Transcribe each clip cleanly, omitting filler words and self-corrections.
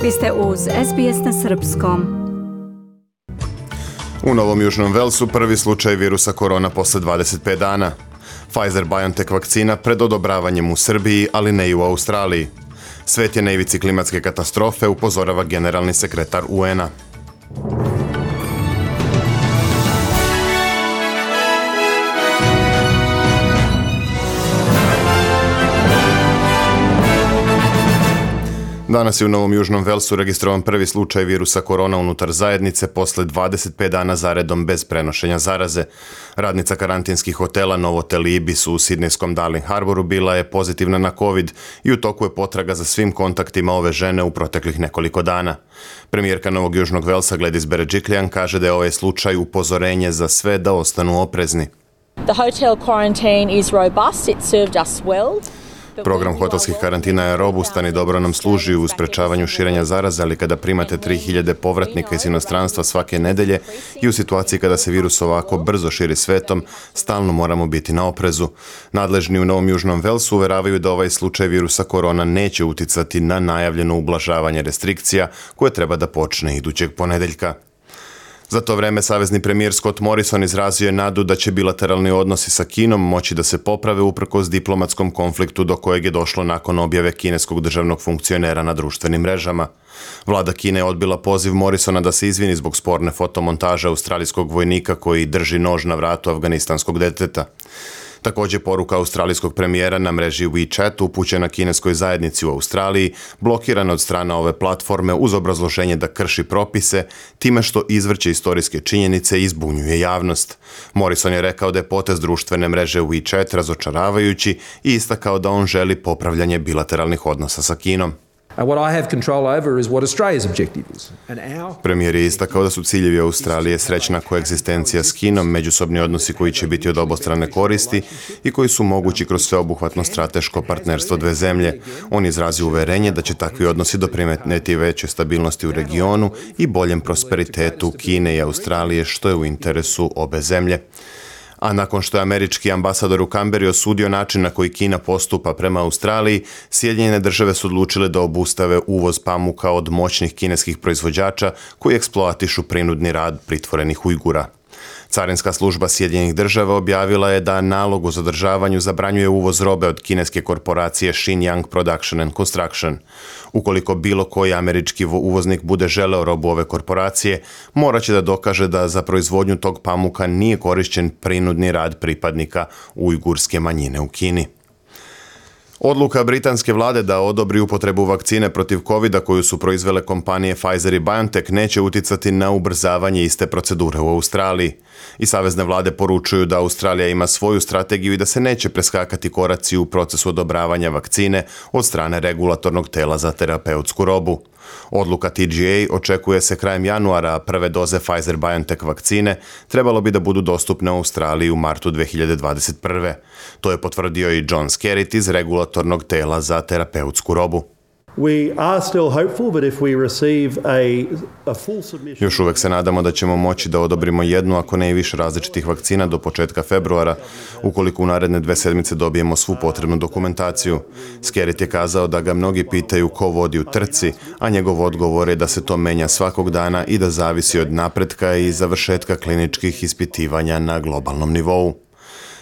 Vi ste uz SBS na srpskom. U Novom Južnom Velsu prvi slučaj virusa korona posle 25 dana. Pfizer-BioNTech vakcina pred odobravanjem u Srbiji, ali ne i u Australiji. Svet je na ivici klimatske katastrofe, upozorava generalni sekretar UN-a. Danas je u Novom Južnom Velsu registrovan prvi slučaj virusa korona unutar zajednice posle 25 dana zaredom bez prenošenja zaraze. Radnica karantinskih hotela Novotel Ibis u sidnejskom Darling Harboru bila je pozitivna na COVID i u toku je potraga za svim kontaktima ove žene u proteklih nekoliko dana. Premijerka Novog Južnog Velsa Gladys Berejiklian kaže da je ovaj slučaj upozorenje za sve da ostanu oprezni. The hotel quarantine is robust. It served us well. Program hotelskih karantina je robustan i dobro nam služi u sprečavanju širenja zaraze, ali kada primate 3000 povratnika iz inostranstva svake nedelje i u situaciji kada se virus ovako brzo širi svetom, stalno moramo biti na oprezu. Nadležni u Novom Južnom Velsu uveravaju da ovaj slučaj virusa korona neće uticati na najavljeno ublažavanje restrikcija koje treba da počne idućeg ponedeljka. Za to vreme savezni premijer Scott Morrison izrazio je nadu da će bilateralni odnosi sa Kinom moći da se poprave uprkos diplomatskom konfliktu do kojeg je došlo nakon objave kineskog državnog funkcionera na društvenim mrežama. Vlada Kine je odbila poziv Morrisona da se izvini zbog sporne fotomontaže australijskog vojnika koji drži nož na vratu afganistanskog deteta. Također poruka australijskog premijera na mreži WeChat upućena kineskoj zajednici u Australiji, blokirana od strane ove platforme uz obrazloženje da krši propise, time što izvrće istorijske činjenice i zbunjuje javnost. Morrison je rekao da je potez društvene mreže WeChat razočaravajući i istakao da on želi popravljanje bilateralnih odnosa sa Kinom. What I have control over is what Australia's objective is. Premijer je istakao da su ciljevi Australije srećna koegzistencija s Kinom, međusobni odnosi koji će biti od obostrane koristi i koji su mogući kroz sveobuhvatno strateško partnerstvo dve zemlje. On izrazio uverenje da će takvi odnosi doprinijeti većoj stabilnosti u regionu i boljem prosperitetu Kine i Australije, što je u interesu obe zemlje. A nakon što je američki ambasador u Kamberi osudio način na koji Kina postupa prema Australiji, Sjedinjene države su odlučile da obustave uvoz pamuka od moćnih kineskih proizvođača koji eksploatišu prinudni rad pritvorenih Ujgura. Carinska služba Sjedinjenih država objavila je da nalog o zadržavanju zabranjuje uvoz robe od kineske korporacije Xinjiang Production and Construction. Ukoliko bilo koji američki uvoznik bude želeo robu ove korporacije, morat će da dokaže da za proizvodnju tog pamuka nije korišćen prinudni rad pripadnika ujgurske manjine u Kini. Odluka britanske vlade da odobri upotrebu vakcine protiv COVID-a koju su proizvele kompanije Pfizer i BioNTech neće uticati na ubrzavanje iste procedure u Australiji. I savezne vlade poručuju da Australija ima svoju strategiju i da se neće preskakati koraci u procesu odobravanja vakcine od strane regulatornog tela za terapeutsku robu. Odluka TGA očekuje se krajem januara, a prve doze Pfizer-BioNTech vakcine trebalo bi da budu dostupne u Australiji u martu 2021. To je potvrdio i John Skerritt iz regulatornog tela za terapeutsku robu. Još uvek se nadamo da ćemo moći da odobrimo jednu, ako ne i više različitih vakcina do početka februara, ukoliko u naredne 2 sedmice dobijemo svu potrebnu dokumentaciju. Skerritt je kazao da ga mnogi pitaju ko vodi u trci, a njegov odgovor je da se to menja svakog dana i da zavisi od napretka i završetka kliničkih ispitivanja na globalnom nivou.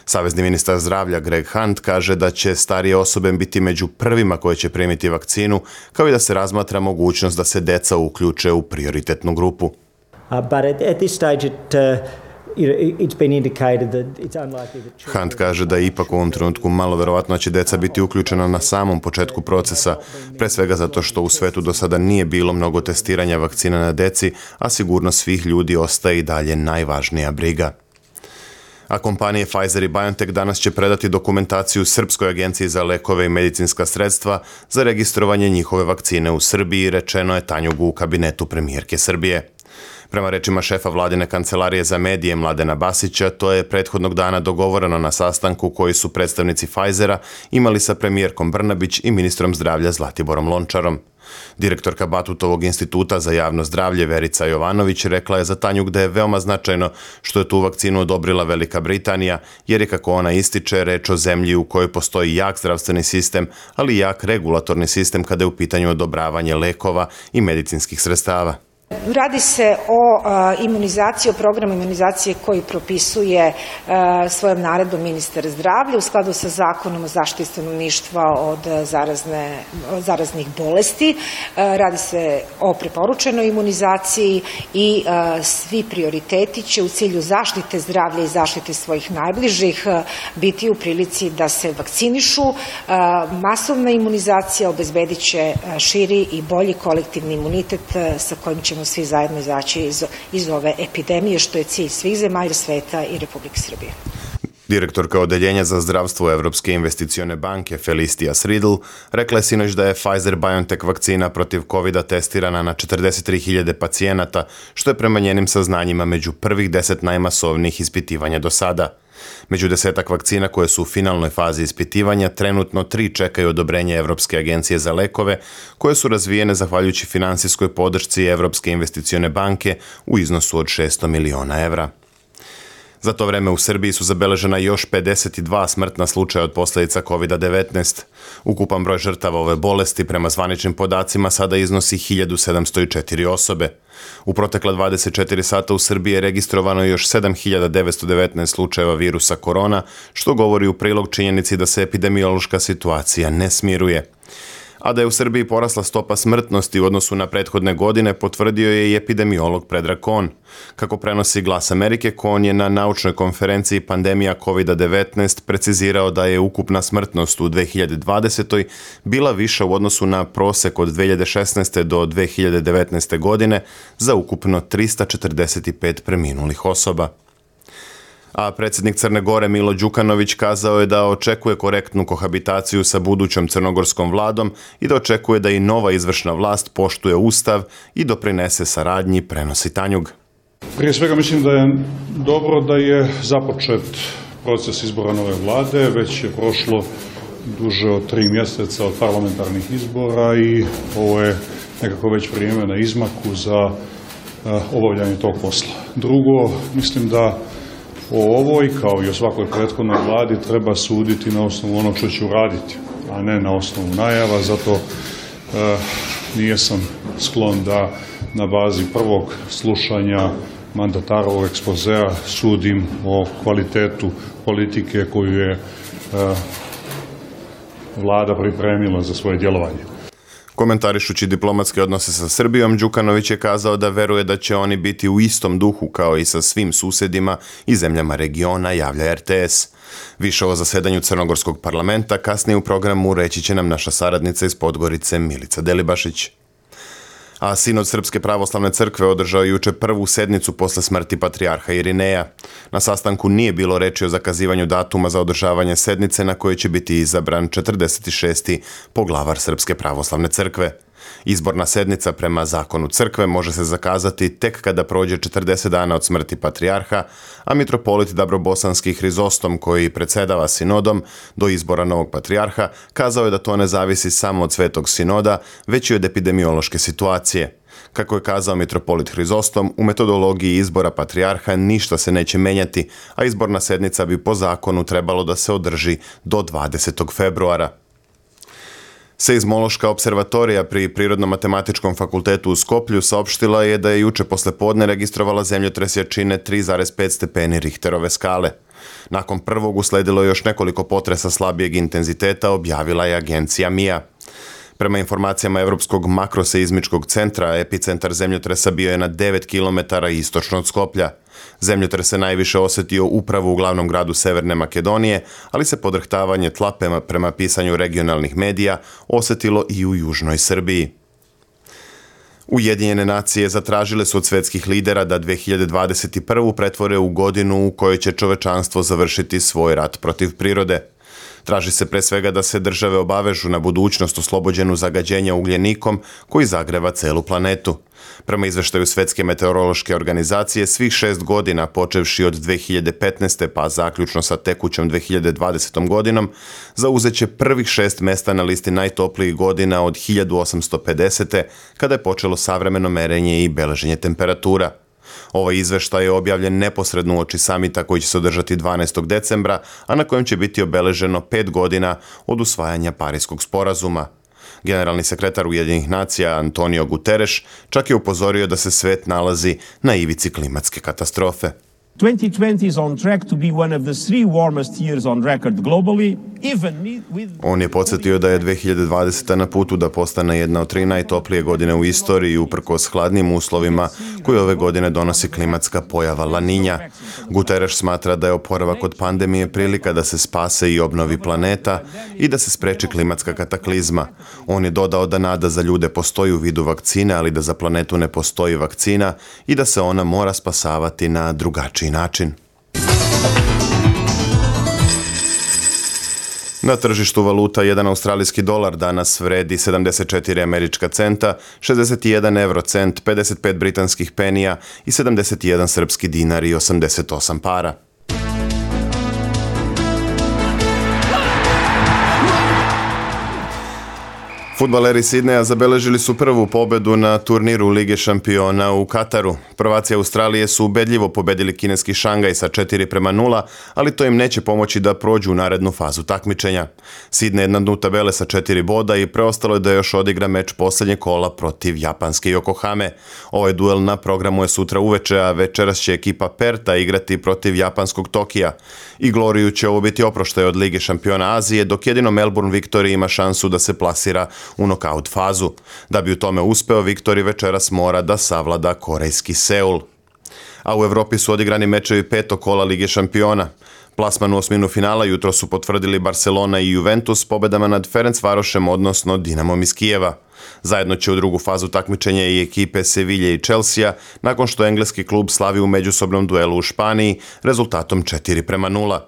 Savezni ministar zdravlja Greg Hunt kaže da će starije osobe biti među prvima koje će primiti vakcinu, kao i da se razmatra mogućnost da se deca uključe u prioritetnu grupu. Hunt kaže da je ipak u ovom trenutku malo verovatno će deca biti uključena na samom početku procesa, pre svega zato što u svetu do sada nije bilo mnogo testiranja vakcina na deci, a sigurnost svih ljudi ostaje i dalje najvažnija briga. A kompanije Pfizer i BioNTech danas će predati dokumentaciju Srpskoj agenciji za lekove i medicinska sredstva za registrovanje njihove vakcine u Srbiji, rečeno je Tanjugu u kabinetu premijerke Srbije. Prema rečima šefa vladine kancelarije za medije Mladena Basića, to je prethodnog dana dogovoreno na sastanku koji su predstavnici Pfizera imali sa premijerkom Brnabić i ministrom zdravlja Zlatiborom Lončarom. Direktorka Batutovog instituta za javno zdravlje Verica Jovanović rekla je za Tanjug da je veoma značajno što je tu vakcinu odobrila Velika Britanija, jer je, kako ona ističe, reč o zemlji u kojoj postoji jak zdravstveni sistem, ali i jak regulatorni sistem kada je u pitanju odobravanje lekova i medicinskih sredstava. Radi se o imunizaciji, o programu imunizacije koji propisuje svojom naredbom ministar zdravlja u skladu sa Zakonom o zaštiti stanovništva od zaraznih bolesti. Radi se o preporučenoj imunizaciji i svi prioriteti će u cilju zaštite zdravlja i zaštite svojih najbližih biti u prilici da se vakcinišu. Masovna imunizacija obezbedit će širi i bolji kolektivni imunitet sa kojim ćemo svi zajedno izaći iz ove epidemije, što je cilj svih zemalja sveta i Republike Srbije. Direktorka Odeljenja za zdravstvo Evropske investicione banke Felicia Sridl rekla je sinoć da je Pfizer-BioNTech vakcina protiv COVID-a testirana na 43.000 pacijenata, što je prema njenim saznanjima među prvih 10 najmasovnijih ispitivanja do sada. Među 10 vakcina koje su u finalnoj fazi ispitivanja, trenutno 3 čekaju odobrenje Evropske agencije za lekove, koje su razvijene zahvaljujući finansijskoj podršci Evropske investicione banke u iznosu od 600 miliona evra. Za to vreme u Srbiji su zabeležena još 52 smrtna slučaja od posljedica COVID-19. Ukupan broj žrtava ove bolesti prema zvaničnim podacima sada iznosi 1704 osobe. U protekla 24 sata u Srbiji je registrovano još 7919 slučajeva virusa korona, što govori u prilog činjenici da se epidemiološka situacija ne smiruje. A da je u Srbiji porasla stopa smrtnosti u odnosu na prethodne godine, potvrdio je i epidemiolog Predrag Kon. Kako prenosi Glas Amerike, Kon je na naučnoj konferenciji Pandemija COVID-19 precizirao da je ukupna smrtnost u 2020. bila viša u odnosu na prosek od 2016. do 2019. godine za ukupno 345 preminulih osoba. A predsjednik Crne Gore Milo Đukanović kazao je da očekuje korektnu kohabitaciju sa budućom crnogorskom vladom i da očekuje da i nova izvršna vlast poštuje ustav i doprinese saradnji, prenosi Tanjug. Prije svega mislim da je dobro da je započet proces izbora nove vlade, već je prošlo duže od 3 mjeseca od parlamentarnih izbora i ovo je nekako već vrijeme na izmaku za obavljanje tog posla. Drugo, mislim da o ovoj, kao i o svakoj prethodnoj vladi, treba suditi na osnovu onog što će uraditi, a ne na osnovu najava. Zato nijesam sklon da na bazi prvog slušanja mandatarovog ekspozea sudim o kvalitetu politike koju je vlada pripremila za svoje djelovanje. Komentarišući diplomatske odnose sa Srbijom, Đukanović je kazao da veruje da će oni biti u istom duhu kao i sa svim susjedima i zemljama regiona, javlja RTS. Više o zasedanju Crnogorskog parlamenta kasnije u programu reći će nam naša saradnica iz Podgorice Milica Delibašić. A Sinod Srpske pravoslavne crkve održao juče prvu sednicu posle smrti patrijarha Irineja. Na sastanku nije bilo reči o zakazivanju datuma za održavanje sednice na kojoj će biti izabran 46. poglavar Srpske pravoslavne crkve. Izborna sednica prema zakonu crkve može se zakazati tek kada prođe 40 dana od smrti patrijarha, a mitropolit Dabrobosanski Hrizostom, koji predsjedava sinodom do izbora novog patrijarha, kazao je da to ne zavisi samo od Svetog sinoda, već i od epidemiološke situacije. Kako je kazao mitropolit Hrizostom, u metodologiji izbora patrijarha ništa se neće menjati, a izborna sednica bi po zakonu trebalo da se održi do 20. februara. Seizmološka observatorija pri Prirodno-matematičkom fakultetu u Skoplju saopštila je da je juče poslepodne registrovala zemljotres jačine 3,5 stepeni Richterove skale. Nakon prvog usledilo je još nekoliko potresa slabijeg intenziteta, objavila je agencija MIA. Prema informacijama Evropskog makroseizmičkog centra, epicentar zemljotresa bio je na 9 km istočno od Skoplja. Zemljotres se najviše osjetio upravo u glavnom gradu Severne Makedonije, ali se podrhtavanje tla prema pisanju regionalnih medija osjetilo i u južnoj Srbiji. Ujedinjene nacije zatražile su od svetskih lidera da 2021. pretvore u godinu u kojoj će čovečanstvo završiti svoj rat protiv prirode. Traži se pre svega da se države obavežu na budućnost oslobođenu zagađenja ugljenikom koji zagreva celu planetu. Prema izveštaju Svetske meteorološke organizacije, svih 6 godina, počevši od 2015. pa zaključno sa tekućom 2020. godinom, zauzeće prvih 6 mesta na listi najtoplijih godina od 1850. kada je počelo savremeno merenje i beleženje temperatura. Ovaj izveštaj je objavljen neposredno uoči samita koji će se održati 12. decembra, a na kojem će biti obeleženo 5 godina od usvajanja Pariskog sporazuma. Generalni sekretar Ujedinjenih nacija Antonio Guterres čak je upozorio da se svet nalazi na ivici klimatske katastrofe. 2020 is on track to be one of the 3 warmest years on record globally, even with... On je podsjetio da je 2020. na putu da postane jedna od 3 najtoplije godine u istoriji uprkos hladnim uslovima koje ove godine donosi klimatska pojava La Niña. Guterres smatra da je oporavak od pandemije prilika da se spase i obnovi planeta i da se spreči klimatska kataklizma. On je dodao da nada za ljude postoji u vidu vakcine, ali da za planetu ne postoji vakcina i da se ona mora spasavati na drugačiji način. Na tržištu valuta jedan australijski dolar danas vredi 74 američka centa, 61 eurocent, 55 britanskih penija i 71 srpski dinar i 88 para. Fudbaleri Sidneja zabeležili su prvu pobedu na turniru Lige šampiona u Kataru. Prvaci Australije su ubedljivo pobedili kineski Šangaj sa 4:0, ali to im neće pomoći da prođu u narednu fazu takmičenja. Sidnej je na dnu tabele sa 4 boda i preostalo je da još odigra meč posljednjeg kola protiv japanske Yokohame. Ovaj duel na programu je sutra uveče, a večeras će ekipa Perta igrati protiv japanskog Tokija. I Gloriju će ovo biti oproštaj od Lige šampiona Azije, dok jedino Melbourne Victory ima šansu da se plasira u nokaut fazu. Da bi u tome uspeo, Victory večeras mora da savlada korejski Seul. A u Evropi su odigrani mečevi 5. kola Lige šampiona. Plasman u osminu finala jutro su potvrdili Barcelona i Juventus pobedama nad Ferencvarošem, odnosno Dinamom iz Kijeva. Zajedno će u drugu fazu takmičenja i ekipe Sevilje i Chelsea, nakon što engleski klub slavi u međusobnom duelu u Španiji rezultatom 4:0.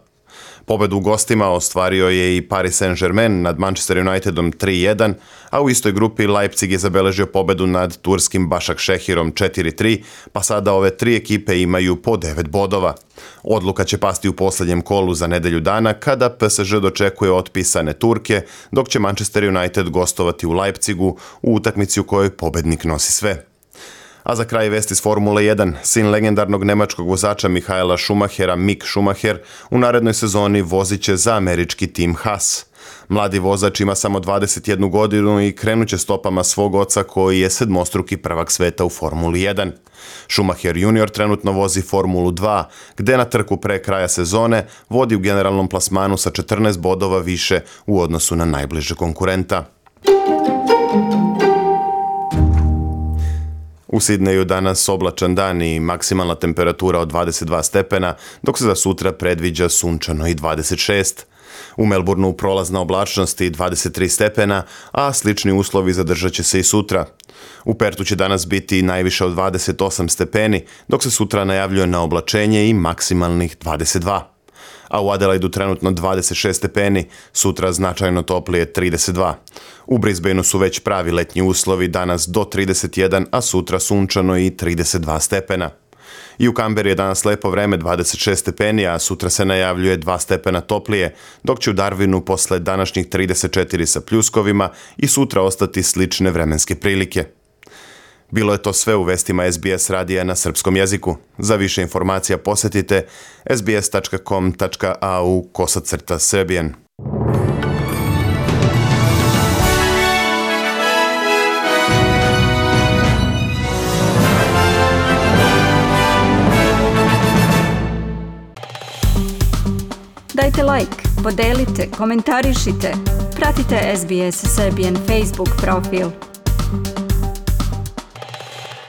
Pobedu u gostima ostvario je i Paris Saint-Germain nad Manchester Unitedom 3:1, a u istoj grupi Leipzig je zabeležio pobedu nad turskim Başakşehirom 4:3, pa sada ove 3 ekipe imaju po 9 bodova. Odluka će pasti u posljednjem kolu za nedelju dana kada PSG dočekuje otpisane Turke, dok će Manchester United gostovati u Leipzigu u utakmici u kojoj pobednik nosi sve. A za kraj vesti iz Formule 1, sin legendarnog nemačkog vozača Michaela Schumachera, Mick Schumacher, u narednoj sezoni vozit će za američki tim Haas. Mladi vozač ima samo 21 godinu i krenuće stopama svog oca koji je sedmostruki prvak sveta u Formuli 1. Schumacher junior trenutno vozi Formulu 2, gde na trku pre kraja sezone vodi u generalnom plasmanu sa 14 bodova više u odnosu na najbliže konkurenta. U Sidneju danas oblačan dan i maksimalna temperatura od 22 stepena, dok se za sutra predviđa sunčano i 26. U Melbourneu prolazna oblačnost i 23 stepena, a slični uslovi zadržat će se i sutra. U Pertu će danas biti najviše od 28 stepeni, dok se sutra najavljuje na oblačenje i maksimalnih 22. A u Adelaidu trenutno 26 stepeni, sutra značajno toplije 32. U Brisbaneu su već pravi letnji uslovi, danas do 31, a sutra sunčano i 32 stepena. I u Kamberi je danas lepo vreme 26 stepeni, a sutra se najavljuje 2 stepena toplije, dok će u Darwinu posle današnjih 34 sa pljuskovima i sutra ostati slične vremenske prilike. Bilo je to sve u vestima SBS radija na srpskom jeziku. Za više informacija posjetite sbs.com.au/Serbian. Dajte like, podelite, komentarišite. Pratite SBS Serbian Facebook profil.